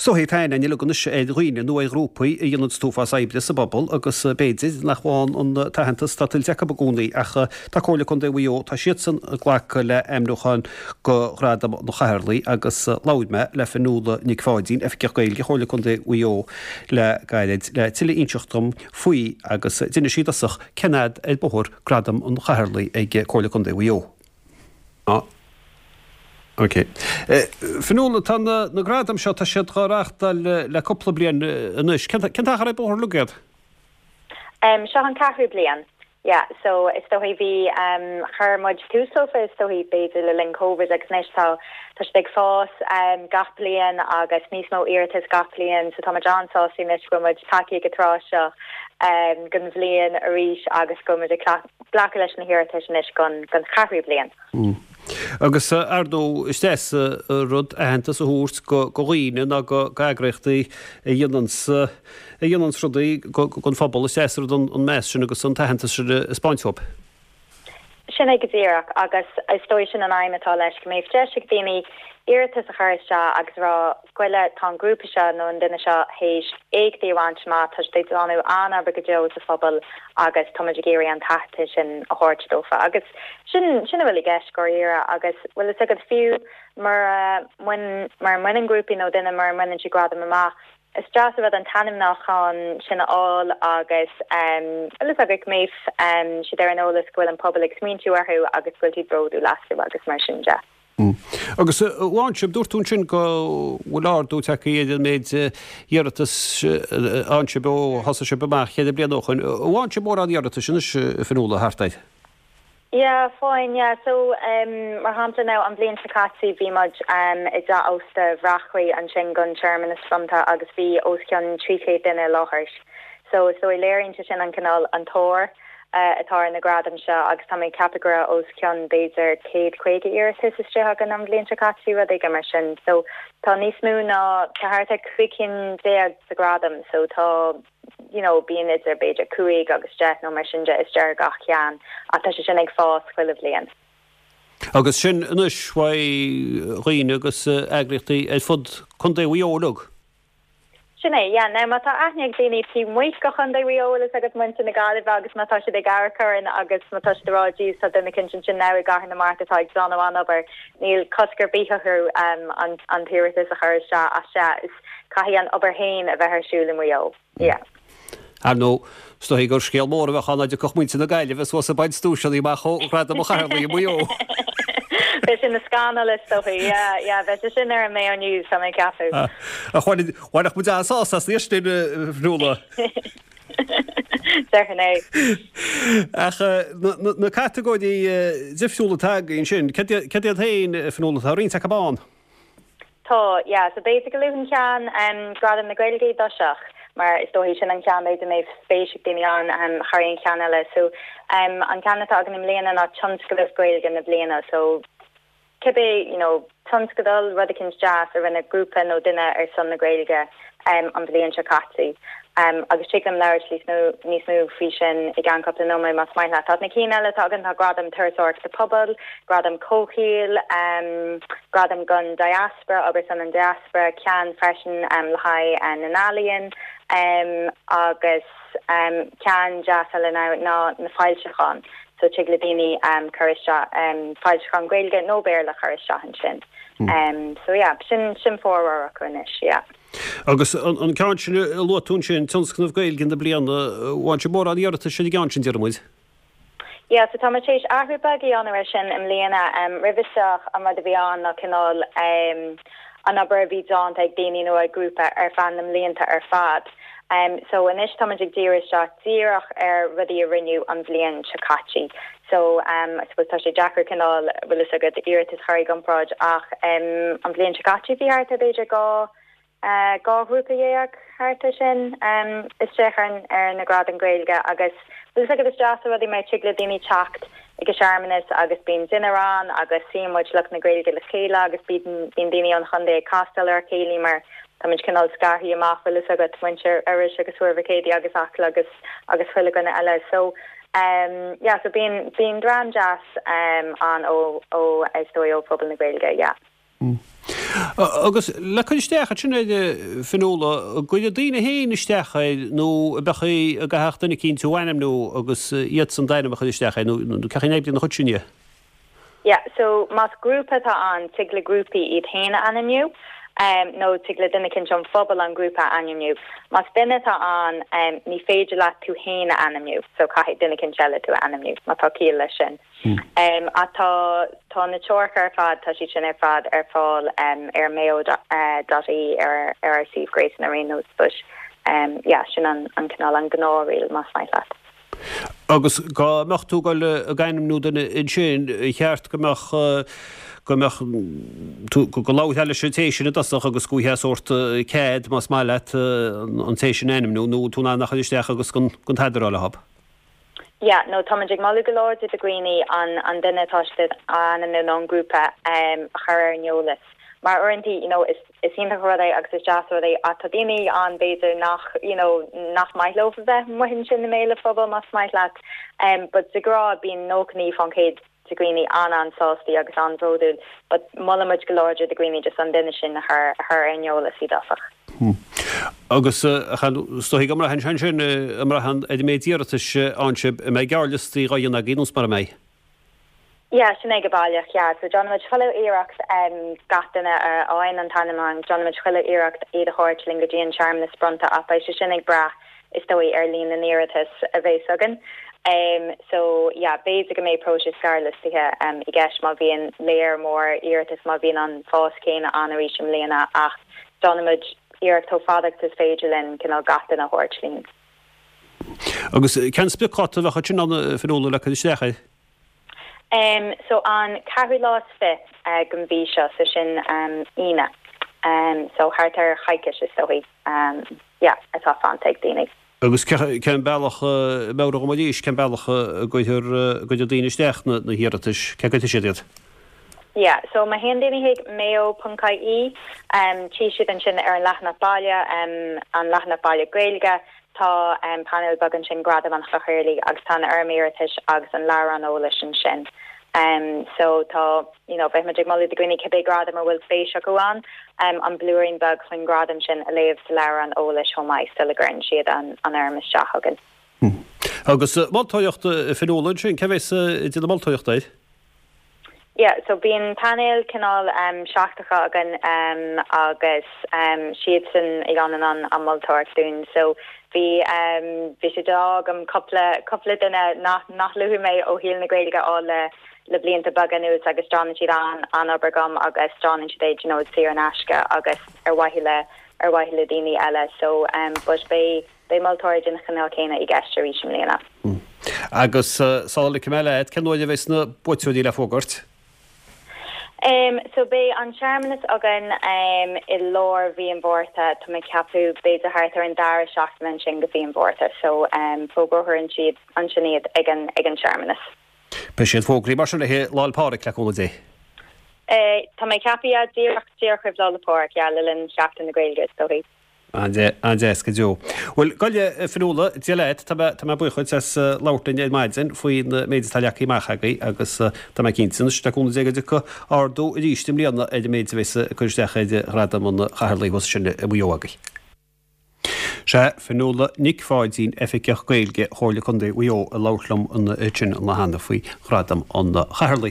Is dóichí tá aithne uilig anois ar dhaoine nó ar ghrúpaí a dhéananns an t-uafás oibre sa bpobal agus b'fhéidir nach bhfaigheann an t-aitheantas atá tuillte acu i gcónaí ach tá Comhairle Contae Mhaigh Eo, tá siadsan ag glacadh le hainmniúcháin go Ghradam an Chathaoirligh agus labhair mé le Fionnuala Nic Pháidín, Oifigeach Gaeilge Chomhairle Contae Mhaigh Eo le gairid le tuilleadh a inseacht dom faoi agus d'inis sí i dtosach cén fhad ar bóthar Gradam an Chathaoirligh ag Comhairle Contae Mhaigh Eo. Ok. Fionnuala, tá na gradaim seo, tá siad dhá reáchtáil le cúpla bliain anois. Cén t-achar ar bóthar uilig iad? Seo an ceathrú bliain. Yeah, so is dóichí bhí, chuir muid tús leofa is dóichí b'fhéidir le linn Covid agus anois tá, tá siad ag fás gach bliain agus níos mó iarratas gach bliain so tá muid an-sásta anois go bhfuil muid tagtha ag an tráth seo den bhliain arís agus go bhfuil muid ag glacadh leis na hiarratais anois don cheathrú bliain. Agus ar ndóigh is deas an rud aitheantas a thabhairt go dhaoine nó go eagraíochtaí a dhéananns a dhéananns rudaí don phobal, is deas an rud an meas sin agus an t-aitheantas sin a 'speáint dóibh. Sin é go díreach agus is dóigh sin an aidhm atá leis, go mbeidh deis ag daoine iarratas a chur isteach agus a rá, Goile, tá an grúpa seo nó an duine seo théis éachtaí a bhaint amach, tá siad ag déanamh an-obair go deo sa phobal agus tá muid ag iarraidh an t-aitheantas sin a thabhairt dófa. Agus sin, sin a bhfuil i gceist, dháiríre. Agus bhfuil fhios agat, fiú mura mbaineann, mura mbaineann grúpaí nó duine, mura mbaineann siad gradam amach, is deas an rud an t-ainmniúchán sin a fháil agus bhfuil fhios agat go mbeidh siad ar an eolas go bhfuil an pobal ag smaointiú orthu agus go bhfuil siad bródúil astu agus mar sin de. Agus a bhain sibh, dúirt tú ansin go bhfuil ardú tagtha ar an méid iarratas a fhaigheann sibh ó thosaigh sibh amach cheithre bliana ó shoin. An bhfaigheann sibh mórán iarratais anois, a Fionnuala, thart air? Yeah, faigheann, yeah. So, mar shampla now, an bhliain seo caite bhí muid i dteach ósta Bhreachlaí ansin don searmanas bronnta agus bhí os cionn 300 duine i láthair. So, is dóigh léiríonn sé sin an cineál, an tóir. atá ar na gradaim seo agus tá mé ag ceapadh go raibh os cionn b'fhéidir 150 iarratas istigh againn an bhliain seo caite, rud éigin mar sin. So tá níos mó ná, tá thart ar 15 cinn de ghradaim so tá you know bíonn idir b'fhéidir 5 agus 10 nó mar sin de istigh ar gach ceann ach tá sé sin ag fás chuile bhliain. Agus sin anois uaidh dhaoine agus eagraíochtaí ar fud Contae Mhaigh Eo uilig. Sin é, yeah. Now má tá aithne ag daoine taobh amuigh de Chontae Mhaigh Eo, bhfuil fhios agat muintir na Gaillimhe agus má tá siad ag amharc orainn agus má tá siad ag rá jeez tá duine eicínt ansin now i gCathair na Mart atá ag déanamh an-obair, níl cosc ar bith orthu an an t-iarratas a chur isteach ach sea, is caithfidh an obair féin a bheith ar siúl i Maigh Eo. Yeah. Ar ndóigh, is dóichí gur scéal mór a bheadh ann dá dtiocfadh muintir na Gaillimhe suas ag baint duaiseanna amach ó Ghradam an Chathaoirligh i Maigh Eo. Bheadh sin ina scannal is dóichí, yeah, yeah, bheadh sé sin ar an Mayo News, tá mé ag ceapadh. Ach bhainfeadh muid an-sásamh as an sin, a Fhionnuala. Déarfainn é. Ach na catagóirí difriúla atá againn sin, céard iad féin, a Fhionnuala, tá roinnt acu ann? Tá, yeah. So b'fhéidir go luafainn ceann, Gradam na Gaeilge i dtosach, mar is dóichí sin an ceann b'fhéidir a mbeidh spéis ag daoine ann thar aon cheann eile. So an ceann atá againn i mbliana ná Tionscnamh Gaeilge na Bliana. So cibé, you know, tionscadal, rud eicínt deas a rinne grúpa nó duine ar son na Gaeilge an bhliain seo caite. Agus tig liom labhairt níos mó níos mó faoi sin i gceann cúpla nóiméad más maith leat. Tá na cinn eile atá againn, tá Gradam Turasóireachta Pobail, Gradam Comhshaoil, Gradam don Diaspora, obair ar son an Diaspora, ceann freisin le haghaidh na n-ealaíon agus ceann deas eile ná na foilseacháin. So tig le daoine cur isteach foilseacháin Gaeilge nó Béarla a chur isteach ansin. So yeah, sin sin formhór acu anois, yeah. Agus an ceann sin a luaigh tú ansin, Tionscnamh Gaeilge na Bliana, bhfaigheann sibh mórán iarratais ar an gceann sin, déarfaidh muid? Yeah, so tá muid tar éis athrú beag a dhéanamh air sin i mbliana. Roimhe seo, an rud a bhí ann ná cineál an obair a bhí déanta ag daoine nó ag grúpa ar feadh na mblianta ar fad. So anois tá muid ag díriú isteach díreach ar rudaí a rinneadh an bhliain seo caite. So I suppose tá sé deacair cineál, bhfuil fhios agat, iarratas a chur i gcomparáid ach an bhliain seo caite bhí thart ar b'fhéidir 12 ghrúpa thart ar sin isteach ar ar na Gradaim Gaeilge agus bhfuil fhios agat is deas an rud é mar tig le daoine teacht ag an searmanas agus bíonn dinnéar ann agus suíonn muid lucht na Gaeilge le chéile agus bíonn bíonn daoine ón chontae ag castáil ar a chéile mar tá muid cineál scarthaí amach bhfuil fhios agat muintir Iorrais agus Thuar Mhic Éadaigh agus Acaill agus agus chuile dhuine eile so Yeah so bíonn, bíonn dream deas ann ó, ó, is dóigh ó phobal na Gaeilge, yeah. Agus le cur isteach ansin air, a Fionnuala, an gcuirfidh daoine féin isteach air nó an mbeadh an gcaithfeadh duine eicínt thú a ainmniú agus iadsan d'ainm a chur isteach air nó cén chaoi a n-oibríonn an chuid sin dhe? Yeah, so más grúpa atá ann, tig le grúpaí iad féin a ainmniú, nó tig le duine eicínt ón phobal an grúpa a ainmniú. Más duine atá ann, ní féidir leat tú féin a ainmniú, so caithfidh duine eicínt eile tú a ainmniú, má tá ciall leis sin. Ach tá, tá na treoracha ar fad, tá siad sin ar fad ar fáil ar mayo dot ie ar ar ár suíomh gréasáin ar aon nós, but yeah, sin an cineál, an gnáth-riail más maith leat. Agus dá mbeadh tú ag dul ag ainmniú duine ansin, ar cheart go mbeadh, go mbeadh tú, go labharfá leis an té sin i dtosach agus go bhfaighfeá sórt cead, más maith leat, an té sin a ainmniú, nó tú in ann a chur isteach agus gan gan tada a rá leob. Yeah, no, táimid ag moladh go láidir do dhaoine an an duine atá siad a ainmniú nó an grúpa a chur ar an eolas. Mar uaireanta, you know, is. Is iontach an rud é agus is deas an rud é ach tá daoine ann b'fhéidir nach you know nach maith leo a bheith amuigh ansin i mbéal an phobail más maith leat. But de ghnáth bíonn 99% de dhaoine an-an-sástaí agus an-bhródúil but molann muid go láidir do dhaoine just an duine sin a chur a chur ar an eolas i dtosach. Agus is dóigh go mbraitheann sé ansin, an mbraitheann ar an méid iarratais a fhaigheann sibh, an mbeidh gearrliostaí dhá dhéanamh agaibh nó mar a mbeidh? Yeah, sin é go baileach, yeah. So déanann muid chuile iarracht gach duine a fhaigheann an t-ainmniúchán, déanann muid chuile iarracht iad a thabhairt linn go dtí an searmanas bronnta ach beidh sé sin ag brath, is dóigh, ar líon na n-iarratas a bheas againn. So yeah, b'fhéidir go mbeidh próiseas gearrliostaithe i gceist má bhíonn léar mór iarratas, má bhíonn an fás céanna ann arís i mbliana ach déanann muid iarracht chomh fada agus is féidir linn cineál gach duine a thabhairt linn. Agus cén spriocdháta a bheadh ansin ann, a Fionnuala, le cur isteach air? Em, so an ceathrú lá is fi, den mhí seo, so sin Aoine. Em, so thart ar choicís is dóigh, em, yeah, atá fanta ag daoine. Agus cén bealach, meabhraigh dhom arís, cén bealach a gcuirfear, a gcuirfidh daoine isteach na hiarratais, cé gcuirfidh siad iad? Yeah, so má théann daoine chuig mayo.ie, em, tchí siad ansin ar an leathanach baile, em, an leathanach baile Gaeilge, Tá painéal beag ansin, Gradam an Chathaoirligh, agus tá an fhoirm iarratais agus an leabhrán eolais ansin. So tá, you know, bheadh muid ag moladh do dhaoine cibé gradam a bhfuil spéis acu ann, an blúirín beag faoin ngradam sin a léamh sa leabhrán eolais chomh maith sula gcuireann siad an fhoirm isteach chugainn. Agus moltóireacht, a Fhionnuala, ansin, cé bheas ag déanamh moltóireachta air? Yeah, so bíonn painéal cineál seachtracha againn agus siadsan a dhéanann an an moltóireacht dúinn. So bhí bhí sé d'ádh agam cúpla cúpla duine nach nach luafaidh mé ó shaol na Gaeilge a fháil le le blianta beaga anuas agus déanann siad an an-obair dom agus déanann siad é you know saor in aisce agus ar mhaithe le ar mhaithe le daoine eile. So but beidh Beidh moltóirí den chineál céanna i gceist arís i mbliana. Agus sula ligfidh mé leat, cén uair a bheas na buaiteoirí le fógairt? So beidh an searmanas againn i lár mhí an Mhárta, tá mé ag ceapadh b'fhéidir thart ar an dara seachtain ansin de mhí an Mhárta. So fógrófar ansin iad ag an ag an searmanas. Beidh siad fógraithe mar sin le haghaidh Lá 'le Pádraig, le cúnamh Dé. Tá mé ag ceapadh, yeah, díreach díreach roimh Lá 'le Pádraig, yeah, le linn Sheachtain na Gaeilge is dóigh. An-deas go deo. Bhuel, gabh i leith, a Fhionnuala, Dia leat, tá mé, tá mé buíoch dhuit as labhairt linn ar maidin faoin méid atá leagtha amach agaibh agus tá mé cinnte anois, le cúnamh Dé, go dtiocfaidh ardú arís i mbliana ar an méid a bheas ag cur isteach ar Ghradam an Chathaoirligh thuas ansin i Maigh Eo agaibh. Sea, Fionnuala Nic Pháidín, Oifigeach Gaeilge Chomhairle Contae Mhaigh Eo ag labhairt liom ansin cheana faoi Ghradam an Chathaoirligh.